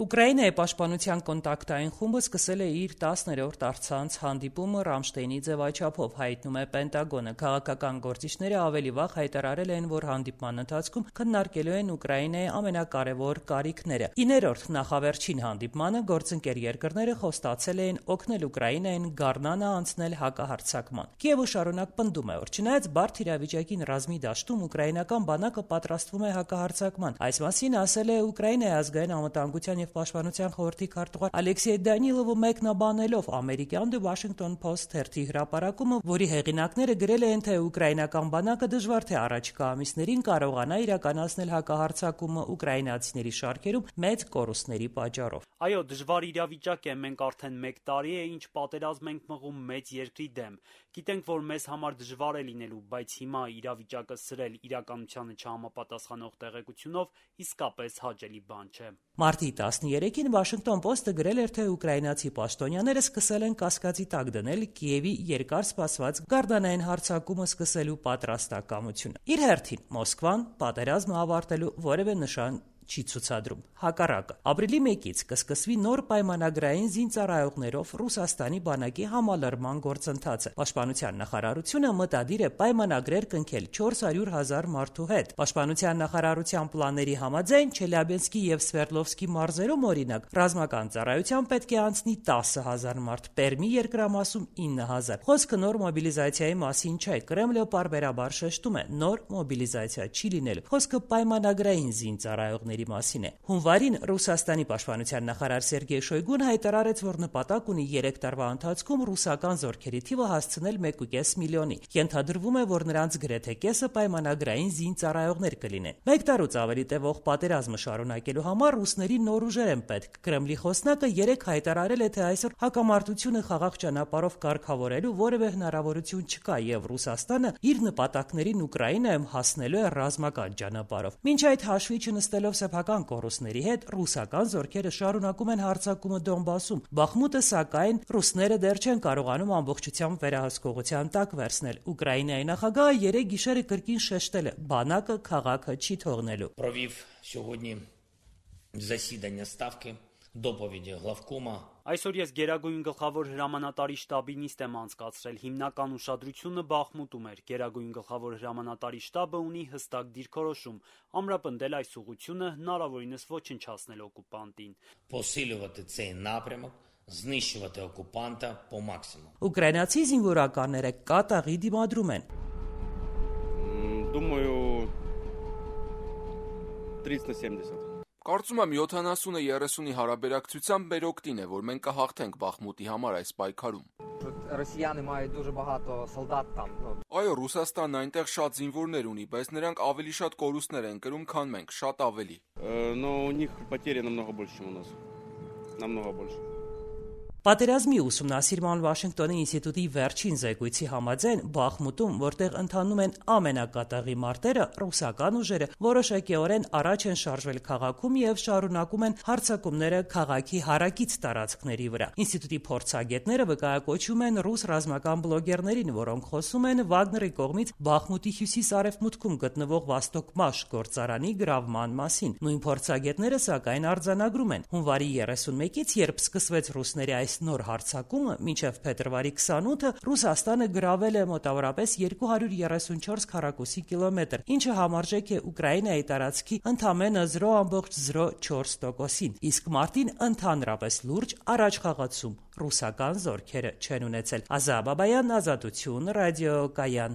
Ուկրաինայի պաշտպանության կոնտակտային խումբը սկսել է իր 10-րդ առցանց հանդիպումը Ռամշտեյնի ձևաչափով, հայտնում է Պենտագոնը։ Քաղաքական գործիչները ավելի վաղ հայտարարել են, որ հանդիպման ընթացքում քննարկելու են Ուկրաինայի ամենակարևոր կարիքները։ 9-րդ նախավերջին հանդիպմանը գործընկեր երկրները խոստացել էին օգնել Ուկրաինային գարնանը անցնել հակահարձակման։ Կիևը շարունակ պնդում է, որ չնայած բարդ իրավիճակին ռազմի դաշտում ուկրաինական բանակը պատրաստվում է հակահարձակման։ Այս մասին ասել է Ուկրաինայի ազգային անվտանգության և պաշտպանության խորհրդի քարտուղար Ալեքսեյ Դանիլովը, մեկնաբանելով ամերիկյան The Washington Post թերթի հրապարակումը, որի հեղինակները գրել են, թե ուկրաինական բանակը դժվար թե առաջիկա ամիսներին կարողանա իրականացնել հակահարձակումը ուկրաինացիների շարքերում մեծ կորուստների պատճառով։ Այո, դժվար իրավիճակ է, մենք արդեն 1 տարի է, ինչ պատերազմ ենք մղում մեծ երկրի դեմ։ Գիտենք, որ մեզ համար դժվար է լինելու, բայց հիմա իրավիճակը սրել իրականությանը չհամապատասխանող տեղեկությունով իսկապես հաճելի բան չէ։ Մարտի 13-ին Washington Post-ը գրել էր, թե ուկրաինացի պաշտոնյաները սկսել են կասկածի տակ դնել Կիևի երկար սպասված գարնանային հարձակումը սկսելու պատրաստակամությունը։ Իր հերթին Մոսկվան պատերազմը ավարտելու որևէ նշան չի ցուցադրում։ Հակառակը, ապրիլի 1-ից կսկսվի նոր պայմանագրային զինծառայողներով Ռուսաստանի բանակի համալրման գործընթացը։ Պաշտպանության նախարարությունը մտադիր է պայմանագրեր կնքել 400,000 մարդու հետ։ Պաշտպանության նախարարության պլանների համաձայն Չելյաբինսկի եւ Սվերդլովսկի մարզերում, օրինակ, ռազմական ծառայության պետք է անցնի 10,000 մարդ, Պերմի երկրամասում 9,000։ Խոսքը նոր մոբիլիզացիայի մասին չէ։ Կրեմլը պարբերաբար շեշտում է, նոր մոբիլիզացիա չի լինելու։ Խոսքը պայմանագրային զինծառայողների մասին է։ Հունվարին Ռուսաստանի պաշտպանության նախարար Սերգեյ Շոյգուն հայտարարեց, որ նպատակ ունի 3 տարվա ընթացքում ռուսական զորքերի թիվը հասցնել 1,5 միլիոնի։ Ենթադրվում է, որ նրանց գրեթե կեսը պայմանագրային զինծառայողներ կլինեն։ 1 տարուց ավելի տևող պատերազմը շարունակելու համար ռուսների նոր ուժեր են պետք։ Կրեմլի խոսնակը 3 հայտարարել է, թե այսօր հակամարտությունը խաղաղ ճանապարհով կարգավորելու որևէ հնարավորություն չկա եւ Ռուսաստանը իր նպատակներին Ուկրաինայում հասնելու է ռազմական ճանապարհով։ Մինչ այդ հաշվի չնստելով սեփական կորուստների հետ, ռուսական զորքերը շարունակում են հարձակումը Դոնբասում։ Բախմուտը, սակայն, ռուսները դեռ չեն կարողանում ամբողջությամբ վերահսկողության տակ վերցնել։ Ուկրաինայի նախագահը 3 գիշերը կրկին շեշտել է՝ բանակը քաղաքը չի թողնելու։ Այսօր ես Գերագույն գլխավոր հրամանատարի շտաբի նիստ եմ անցկացրել, հիմնական ուշադրությունը Բախմուտում էր։ Գերագույն գլխավոր հրամանատարի շտաբը ունի հստակ դիրքորոշում՝ ամրապնդել այս ուղղությունը, հնարավորինս ոչնչացնել օկուպանտին։ Ուկրաինացի զինվորականները կատաղի դիմադրում են։ Կարծում եմ 70-30-ի հարաբերակցությամբ մեր օգտին է, որ մենք կհաղթենք Բախմուտի համար այս պայքարում։ Այո, Ռուսաստանն այնտեղ շատ զինվորներ ունի, բայց նրանք ավելի շատ կորուստներ են կրում, քան մենք, շատ ավելի։ Պատերազմի ուսումնասիրման Վաշինգտոնի ինստիտուտի վերջին զեկույցի համաձայն Բախմուտում, որտեղ ընթանում են ամենակատաղի մարտերը, ռուսական ուժերը որոշակիորեն առաջ են շարժվել քաղաքում եւ շարունակում են հարձակումները քաղաքի հարակից տարածքների վրա։ Ինստիտուտի փորձագետները վկայակոչում են ռուս ռազմական բլոգերներին, որոնք խոսում են Վագների կողմից Բախմուտի հյուսիս-արևմուտքում գտնվող Վաստոկ-Մաշ գործարանի գրավման մասին։ Նույն փորձագետները, սակայն, արձանագրում են, հունվարի 31-ից, երբ սկսվեց ռուսների այս նոր հարձակումը, մինչև փետրվարի 28-ը Ռուսաստանը գրավել է մոտավորապես 234 քառակուսի կիլոմետր, ինչը համարժեք է Ուկրաինայի տարածքի ընդամենը 0,04%-ին, իսկ մարտին ընդհանրապես լուրջ առաջխաղացում ռուսական զորքերը չեն ունեցել։ Ազա Բաբայան, Ազատություն, ռադիոկայան։